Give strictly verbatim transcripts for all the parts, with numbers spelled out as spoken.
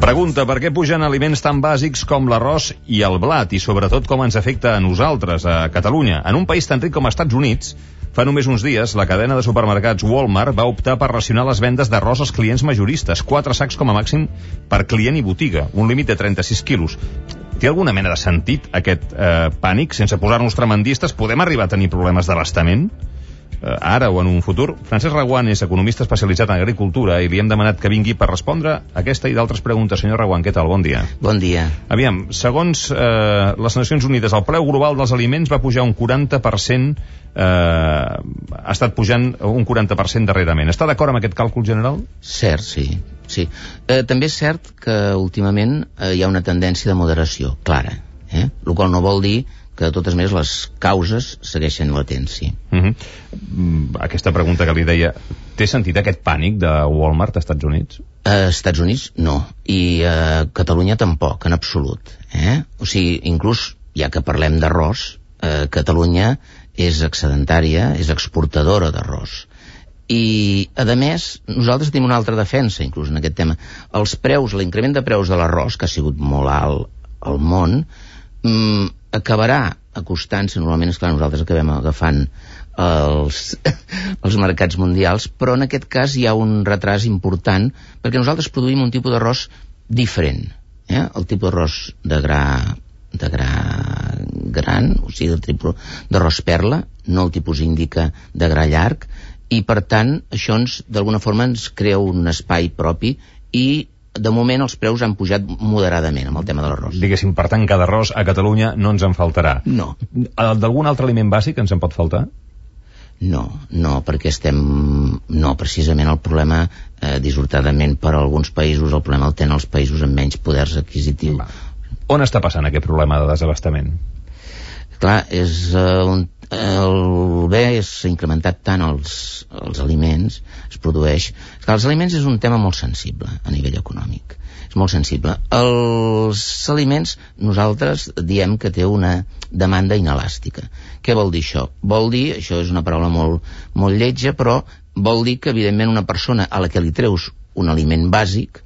Pregunta, per què pugen aliments tan bàsics com l'arròs i el blat i sobretot com ens afecta a nosaltres, a Catalunya? En un país tan ric com Estats Units, fa només uns dies, la cadena de supermercats Walmart va optar per racionar les vendes d'arròs als clients majoristes, quatre sacs com a màxim per client i botiga, un límit de trenta-sis quilos. Té alguna mena de sentit aquest eh, pànic? Sense posar-nos tremendistes, podem arribar a tenir problemes d'abastament? Eh, ara o en un futur? Francesc Reguant és economista especialitzat en agricultura i li hem demanat que vingui per respondre aquesta i d'altres preguntes. Senyor Reguant, què tal? Bon dia. Bon dia. Aviam, segons eh, les Nacions Unides, el preu global dels aliments va pujar un quaranta per cent, eh, ha estat pujant un quaranta per cent darrerament. Està d'acord amb aquest càlcul general? Cert, sí. sí. Eh, també és cert que últimament eh, hi ha una tendència de moderació clara, eh? El qual no vol dir que de totes maneres les causes segueixen latents, sí. Uh -huh. Aquesta pregunta que li deia, té sentit aquest pànic de Walmart als Estats Units? A Estats Units no, i a Catalunya tampoc, en absolut. Eh? O sigui, inclús, ja que parlem d'arròs, eh, Catalunya és excedentària, és exportadora d'arròs. I, a més, nosaltres tenim una altra defensa, inclús en aquest tema. Els preus, l'increment de preus de l'arròs, que ha sigut molt alt al món, mm, acabarà acostant-se, normalment, esclar, nosaltres acabem agafant els, els mercats mundials, però en aquest cas hi ha un retras important, perquè nosaltres produïm un tipus d'arròs diferent, eh? El tipus d'arròs de gra, de gra gran, o sigui, el tipus d'arròs perla, no el tipus índica de gra llarg, i per tant, això ens, d'alguna forma, ens crea un espai propi i de moment els preus han pujat moderadament amb el tema de l'arròs. Diguéssim, per tant, cada arròs a Catalunya no ens en faltarà. No. D'algun altre aliment bàsic ens en pot faltar? No, no, perquè estem... No, precisament el problema, eh, dissortadament per a alguns països, el problema el tenen els països amb menys poders adquisitius. Va. On està passant aquest problema de desabastament? Clar, és eh, un el bé s'ha incrementat tant els, els aliments, es produeix... Esclar, els aliments és un tema molt sensible a nivell econòmic, és molt sensible. Els aliments, nosaltres diem que té una demanda inelàstica. Què vol dir això? Vol dir, això és una paraula molt, molt lletja, però vol dir que, evidentment, una persona a la que li treus un aliment bàsic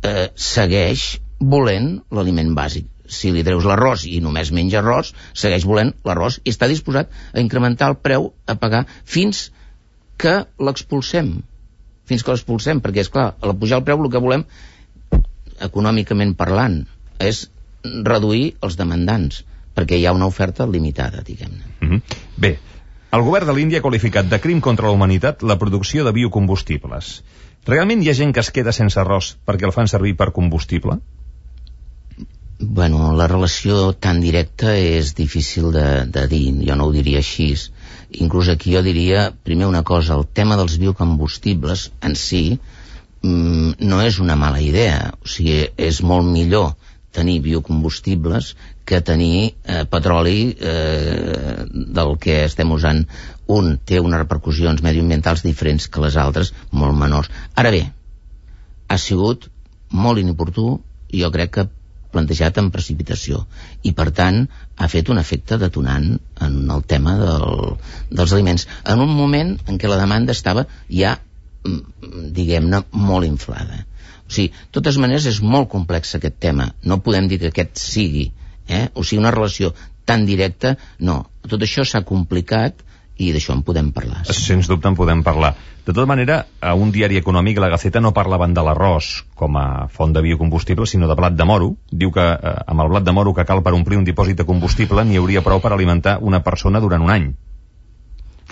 eh, segueix volent l'aliment bàsic. Si li treus l'arròs i només menja arròs, segueix volent l'arròs i està disposat a incrementar el preu a pagar fins que l'expulsem. Fins que l'expulsem, perquè, és clar, a pujar el preu el que volem, econòmicament parlant, és reduir els demandants, perquè hi ha una oferta limitada, diguem-ne. Mm-hmm. Bé, el govern de l'Índia ha qualificat de crim contra la humanitat la producció de biocombustibles. Realment hi ha gent que es queda sense arròs perquè el fan servir per combustible? Bueno, la relació tan directa és difícil de, de dir, jo no ho diria així. Inclús aquí jo diria, primer una cosa, el tema dels biocombustibles en si mmm, no és una mala idea, o sigui, és molt millor tenir biocombustibles que tenir eh, petroli eh, del que estem usant. Un té unes repercussions mediambientals diferents que les altres, molt menors. Ara bé, ha sigut molt inoportú i jo crec que plantejat en precipitació i per tant ha fet un efecte detonant en el tema del, dels aliments en un moment en què la demanda estava ja, diguem-ne, molt inflada. O sigui, de totes maneres és molt complex aquest tema, no podem dir que aquest sigui, eh? O sigui, una relació tan directa, no, tot això s'ha complicat i d'això en podem parlar. Sí. Sens dubte en podem parlar. De tota manera, a un diari econòmic, la Gaceta, no parlaven de l'arròs com a font de biocombustible, sinó de blat de moro. Diu que eh, amb el blat de moro que cal per omplir un dipòsit de combustible n'hi hauria prou per alimentar una persona durant un any.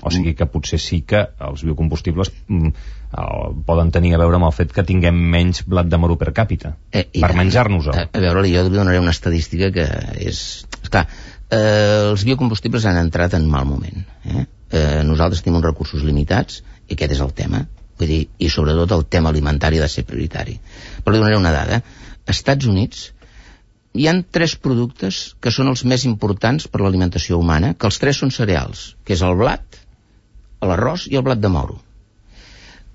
O sigui que potser sí que els biocombustibles mm, eh, poden tenir a veure amb el fet que tinguem menys blat de moro per càpita, eh, per menjar-nos-ho. A, a veure, jo li donaré una estadística que és... Esclar, eh, els biocombustibles han entrat en mal moment, eh? Eh, nosaltres tenim uns recursos limitats i aquest és el tema, vull dir, i sobretot el tema alimentari ha de ser prioritari. Però li donaré una dada. Als Estats Units hi han tres productes que són els més importants per l'alimentació humana, que els tres són cereals, que és el blat, l'arròs i el blat de moro.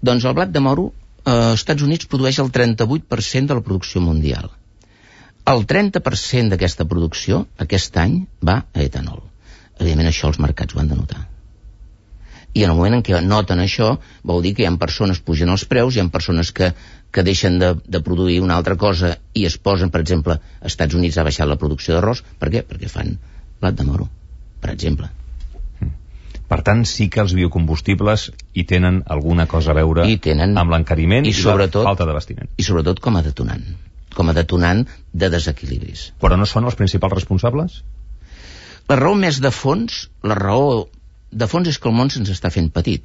Doncs el blat de moro eh, als Estats Units produeix el trenta-vuit per cent de la producció mundial. El trenta per cent d'aquesta producció aquest any va a etanol. Evidentment això els mercats ho han de notar. I en el moment en què noten això, vol dir que hi ha persones que pugen els preus, hi ha persones que, que deixen de, de produir una altra cosa i es posen, per exemple, als Estats Units ha baixat la producció d'arròs. Per què? Perquè fan blat de moro, per exemple. Per tant, sí que els biocombustibles hi tenen alguna cosa a veure tenen, amb l'encariment i, i la falta d'abastiment. I sobretot com a detonant, com a detonant de desequilibris. Però no són els principals responsables? La raó més de fons, la raó de fons és que el món se'ns està fent petit.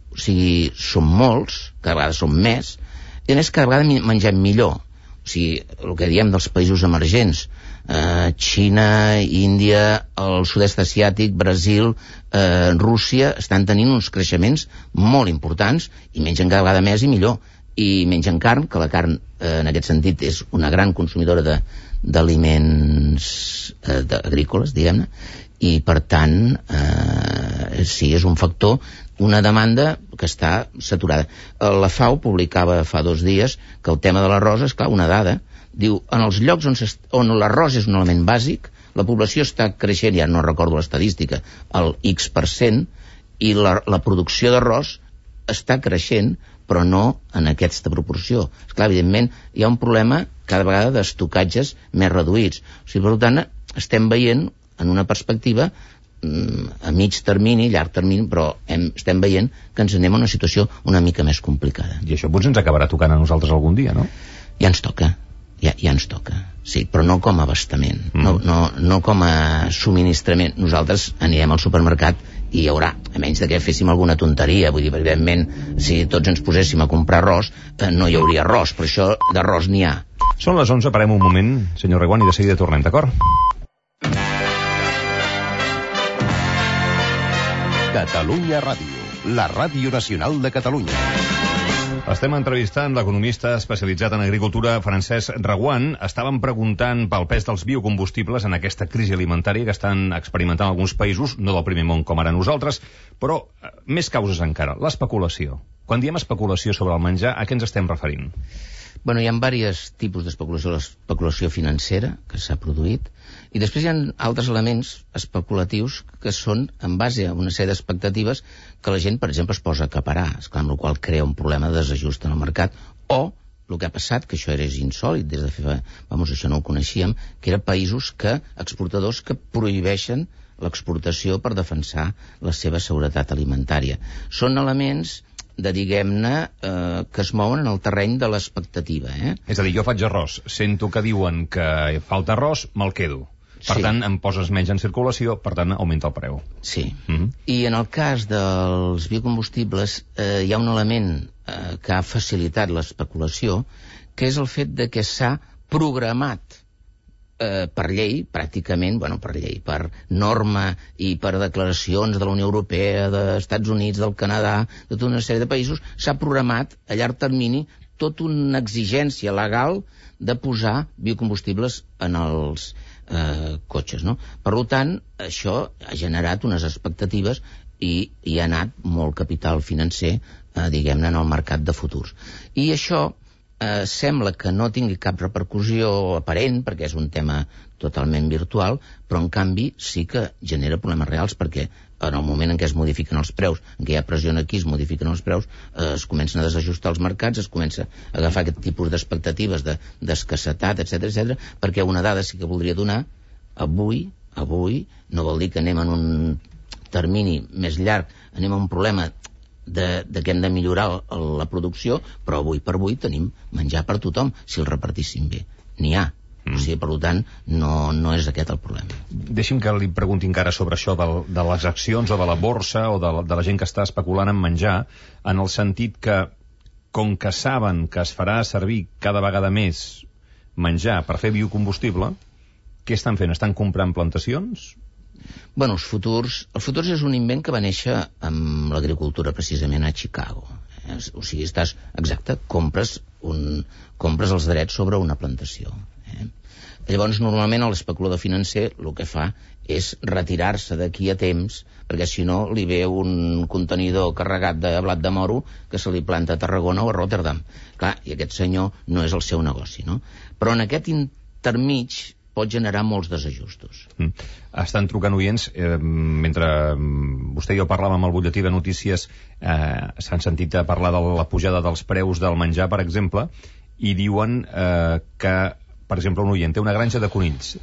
O sigui, som molts, cada vegada som més, i a més cada vegada mengem millor. O sigui, el que diem dels països emergents, eh, Xina, Índia, el sud-est asiàtic, Brasil, eh, Rússia, estan tenint uns creixements molt importants i mengen cada vegada més i millor. I mengen carn, que la carn, eh, en aquest sentit, és una gran consumidora de, d'aliments eh, agrícoles, diguem-ne, i per tant, eh, sí, és un factor, una demanda que està saturada. La FAO publicava fa dos dies que el tema de l'arròs, és clar, una dada, diu, en els llocs on, on l'arròs és un element bàsic, la població està creixent, ja no recordo l'estadística, el X per cent, i la, la producció d'arròs està creixent, però no en aquesta proporció. Esclar, evidentment, hi ha un problema cada vegada d'estocatges més reduïts. O sigui, per tant, estem veient en una perspectiva a mig termini, llarg termini, però hem, estem veient que ens anem a una situació una mica més complicada. I això potser ens acabarà tocant a nosaltres algun dia, no? Ja ens toca, ja, ja ens toca, sí, però no com a abastament, mm. no, no, no com a subministrament. Nosaltres anirem al supermercat i hi haurà, a menys de que féssim alguna tonteria, vull dir, evidentment, si tots ens poséssim a comprar arròs, eh, no hi hauria arròs, però això d'arròs n'hi ha. Són les onze, parem un moment, senyor Reguant, i de seguida tornem, d'acord? Catalunya Ràdio, la ràdio nacional de Catalunya. Estem entrevistant l'economista especialitzat en agricultura, Francesc Reguant. Estàvem preguntant pel pes dels biocombustibles en aquesta crisi alimentària que estan experimentant alguns països, no del primer món com ara nosaltres, però eh, més causes encara, l'especulació. Quan diem especulació sobre el menjar, a què ens estem referint? Bueno, hi ha diversos tipus d'especulació. L'especulació financera, que s'ha produït, i després hi ha altres elements especulatius que són en base a una sèrie d'expectatives que la gent, per exemple, es posa a acaparar, esclar, amb la qual crea un problema de desajust en el mercat, o el que ha passat, que això era insòlit, des de fer, vamos, això no ho coneixíem, que eren països que, exportadors que prohibeixen l'exportació per defensar la seva seguretat alimentària. Són elements de, diguem-ne, eh, que es mouen en el terreny de l'expectativa. Eh? És a dir, jo faig arròs, sento que diuen que falta arròs, me'l quedo. Per sí. tant, em poses menys en circulació, per tant, augmenta el preu. Sí. Mm-hmm. I en el cas dels biocombustibles eh, hi ha un element eh, que ha facilitat l'especulació, que és el fet de que s'ha programat eh, per llei, pràcticament, bueno, per llei, per norma i per declaracions de la Unió Europea, dels Estats Units, del Canadà, de tota una sèrie de països, s'ha programat a llarg termini tota una exigència legal de posar biocombustibles en els eh, cotxes, no? Per tant, això ha generat unes expectatives i hi ha anat molt capital financer, eh, diguem-ne, en el mercat de futurs. I això eh, sembla que no tingui cap repercussió aparent, perquè és un tema totalment virtual, però en canvi sí que genera problemes reals, perquè en el moment en què es modifiquen els preus, en què hi ha pressió aquí, es modifiquen els preus, eh, es comencen a desajustar els mercats, es comença a agafar aquest tipus d'expectatives d'escassetat, etcètera, etcètera, perquè una dada sí que voldria donar, avui, avui, no vol dir que anem en un termini més llarg, anem a un problema de, de que hem de millorar la producció, però avui per avui tenim menjar per tothom, si el repartíssim bé. N'hi ha. Mm. O sigui, per tant, no, no és aquest el problema. Deixi'm que li pregunti encara sobre això de, de les accions o de la borsa o de la, de la gent que està especulant en menjar, en el sentit que, com que saben que es farà servir cada vegada més menjar per fer biocombustible, què estan fent? Estan comprant plantacions? Bueno, els futurs... Els futurs és un invent que va néixer amb l'agricultura precisament a Chicago. Eh? O sigui, estàs... Exacte, compres, un, compres els drets sobre una plantació. Eh? Llavors, normalment, l'especulador financer el que fa és retirar-se d'aquí a temps, perquè si no li ve un contenidor carregat de blat de moro que se li planta a Tarragona o a Rotterdam. Clar, i aquest senyor no és el seu negoci, no? Però en aquest intermig pot generar molts desajustos. Mm. Estan trucant oients, eh, mentre vostè i jo parlàvem amb el butlletí de notícies, eh, s'han sentit a parlar de la pujada dels preus del menjar, per exemple, i diuen eh, que, per exemple, un oient té una granja de conills,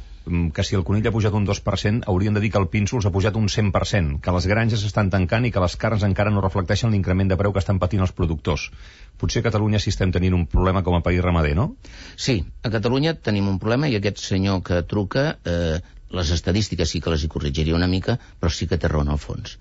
que si el conill ha pujat un dos per cent, haurien de dir que el pínsols ha pujat un cent per cent, que les granges estan tancant i que les carns encara no reflecteixen l'increment de preu que estan patint els productors. Potser a Catalunya sí estem tenint un problema com a país ramader, no? Sí, a Catalunya tenim un problema i aquest senyor que truca, eh, les estadístiques sí que les hi corrigiria una mica, però sí que té raó en el fons.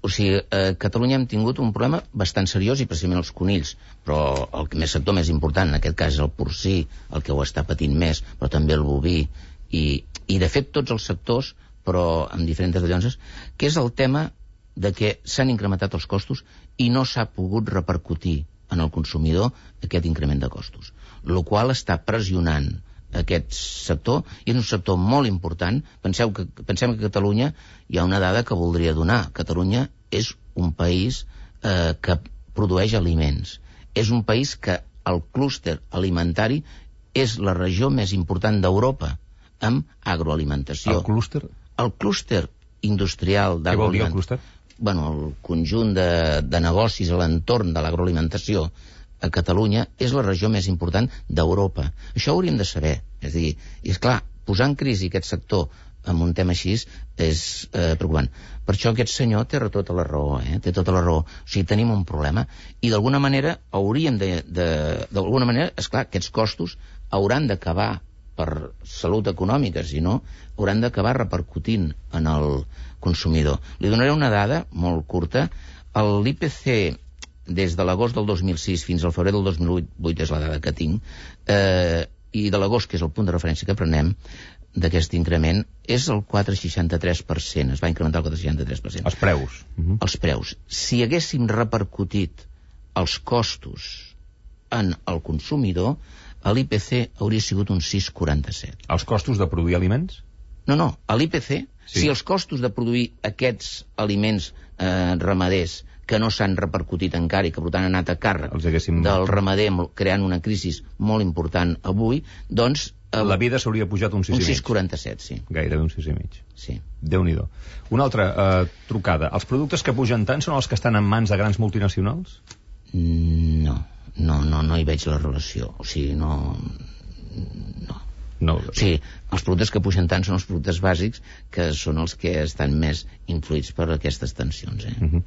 O sigui, a Catalunya hem tingut un problema bastant seriós i precisament els conills, però el més sector més important en aquest cas és el porcí, el que ho està patint més, però també el boví, i, i de fet tots els sectors, però amb diferents variances, que és el tema de que s'han incrementat els costos i no s'ha pogut repercutir en el consumidor aquest increment de costos, el qual està pressionant aquest sector, i és un sector molt important. Penseu que, pensem que a Catalunya hi ha una dada que voldria donar. Catalunya és un país eh, que produeix aliments. És un país que el clúster alimentari és la regió més important d'Europa amb agroalimentació. El clúster? El clúster industrial d'agroalimentació. Què vol dir el clúster? Bueno, el conjunt de, de negocis a l'entorn de l'agroalimentació a Catalunya és la regió més important d'Europa. Això ho hauríem de saber. És a dir, i és clar, posar en crisi aquest sector amb un tema així és eh, preocupant. Per això aquest senyor té tota la raó, eh? té tota la raó. O sigui, tenim un problema i d'alguna manera hauríem de... d'alguna manera, esclar, aquests costos hauran d'acabar per salut econòmica, si no, hauran d'acabar repercutint en el consumidor. Li donaré una dada molt curta. L'I P C des de l'agost del dos mil sis fins al febrer del dos mil vuit és la dada que tinc, eh, i de l'agost, que és el punt de referència que prenem d'aquest increment, és el quatre coma seixanta-tres per cent, es va incrementar el quatre coma seixanta-tres per cent. Els preus. Uh-huh. Els preus. Si haguéssim repercutit els costos en el consumidor, l'I P C hauria sigut un sis coma quaranta-set. Els costos de produir aliments? No, no, a l'I P C, sí. Si els costos de produir aquests aliments eh, ramaders que no s'han repercutit encara i que per tant han anat a càrrec haguéssim... del ramader creant una crisi molt important avui, doncs... Eh, la vida s'hauria pujat un sis un i mig. sis coma quaranta-set, sí. Gairebé un sis i mig. Sí. Déu-n'hi-do. Una altra eh, trucada. Els productes que pugen tant són els que estan en mans de grans multinacionals? No, no, no, no hi veig la relació. O sigui, no... No. No. O sigui, els productes que pugen tant són els productes bàsics, que són els que estan més influïts per aquestes tensions. Eh? Uh-huh.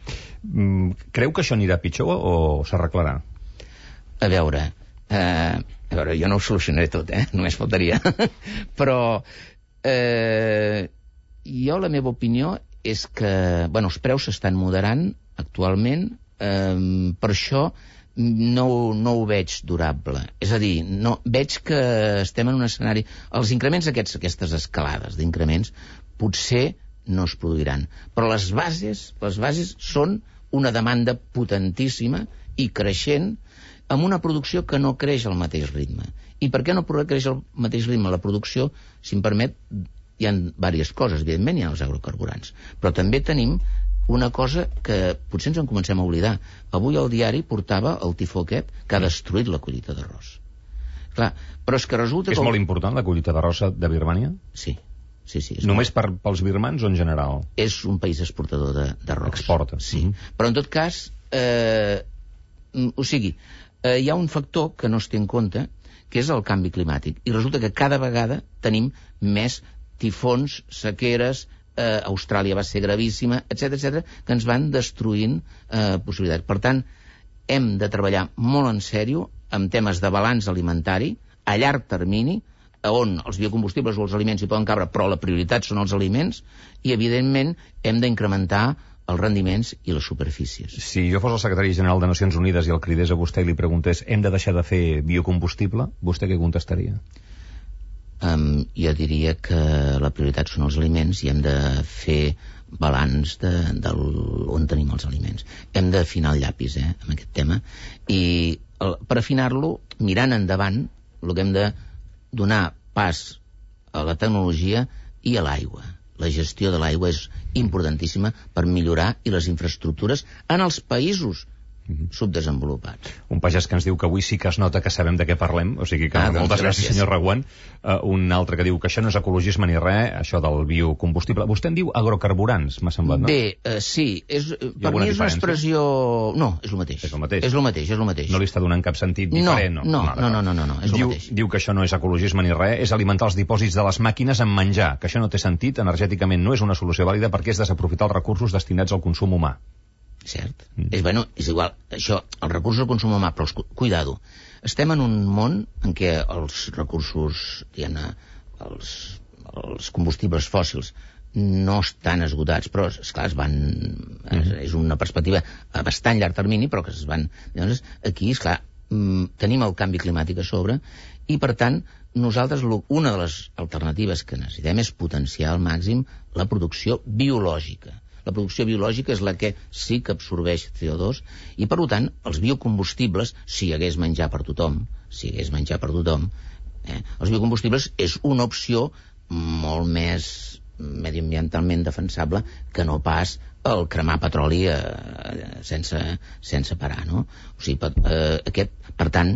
mm, creu que això anirà pitjor o s'arreglarà? A veure, eh, a veure, jo no ho solucionaré tot, eh? Només faltaria. Però eh, jo la meva opinió és que, bueno, els preus s'estan moderant actualment, eh, per això no, no ho veig durable. És a dir, no, veig que estem en un escenari... Els increments aquests, aquestes escalades d'increments potser no es produiran. Però les bases, les bases són una demanda potentíssima i creixent amb una producció que no creix al mateix ritme. I per què no creix al mateix ritme la producció? Si em permet, hi ha diverses coses. Evidentment hi ha els agrocarburants. Però també tenim una cosa que potser ens en comencem a oblidar. Avui el diari portava el tifó aquest que ha destruït la collita d'arròs. Clar, però és que resulta... És que... molt important la collita d'arròs de Birmània? Sí, sí, sí. Només molt... per, pels birmans o en general? És un país exportador d'arròs. Exporta. Sí, Mm-hmm. però en tot cas, eh, o sigui, eh, hi ha un factor que no es té en compte, que és el canvi climàtic. I resulta que cada vegada tenim més tifons, sequeres, eh, Austràlia va ser gravíssima, etcètera, etcètera, que ens van destruint eh, possibilitats. Per tant, hem de treballar molt en sèrio amb temes de balanç alimentari a llarg termini, on els biocombustibles o els aliments hi poden cabre, però la prioritat són els aliments, i evidentment hem d'incrementar els rendiments i les superfícies. Si jo fos el secretari general de Nacions Unides i el cridés a vostè i li preguntés hem de deixar de fer biocombustible, vostè què contestaria? Um, jo diria que la prioritat són els aliments i hem de fer balanç de, de on tenim els aliments. Hem d'afinar el llapis, eh, amb aquest tema, i el, per afinar-lo, mirant endavant, el que hem de donar pas a la tecnologia i a l'aigua. La gestió de l'aigua és importantíssima per millorar i les infraestructures en els països mm-hmm. subdesenvolupats. Un pagès que ens diu que avui sí que es nota que sabem de què parlem, o sigui que ah, moltes doncs gràcies, gràcies, senyor Reguant. Uh, un altre que diu que això no és ecologisme ni res, això del biocombustible. Vostè en diu agrocarburants, m'ha semblat, no? Bé, uh, sí, és, per mi és una expressió... No, és el mateix. És el mateix. És el mateix, és el mateix. No li està donant cap sentit diferent? No, no, no, no, no, no, no, és diu, el mateix. Diu que això no és ecologisme ni res, és alimentar els dipòsits de les màquines amb menjar, que això no té sentit, energèticament no és una solució vàlida perquè és desaprofitar els recursos destinats al consum humà. Cert. Mm. És, bueno, és igual, això, els recursos del consum humà, però els, cuidado, estem en un món en què els recursos, diguem-ne, els, els combustibles fòssils no estan esgotats, però, esclar, es van... Mm. És una perspectiva a bastant llarg termini, però que es van... Llavors, aquí, esclar, tenim el canvi climàtic a sobre i, per tant, nosaltres, una de les alternatives que necessitem és potenciar al màxim la producció biològica. La producció biològica és la que sí que absorbeix C O dos i, per tant, els biocombustibles, si hi hagués menjar per tothom, si hi hagués menjar per tothom, eh, els biocombustibles és una opció molt més mediambientalment defensable que no pas el cremar petroli eh, sense, sense parar, no? O sigui, per, eh, aquest, per tant,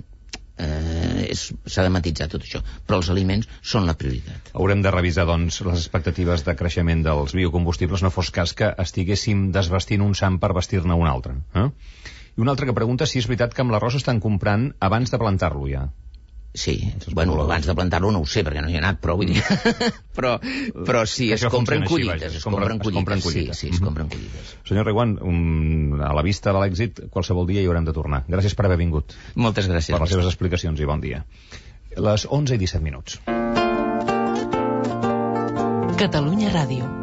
Eh, s'ha de matitzar tot això, però els aliments són la prioritat. Haurem de revisar, doncs, les expectatives de creixement dels biocombustibles, no fos cas que estiguéssim desvestint un sant per vestir-ne un altre. Eh? I un altre que pregunta si és veritat que amb l'arròs estan comprant abans de plantar-lo ja. Sí, bueno, abans de plantar-lo no ho sé, perquè no hi he anat, però vull dir... però, però sí, es compren collites, es compren collites, sí, sí, es compren collites. Senyor Reguant, um, a la vista de l'èxit, qualsevol dia hi haurem de tornar. Gràcies per haver vingut. Moltes gràcies. Per les seves explicacions i bon dia. Les onze i disset minuts. Catalunya Ràdio.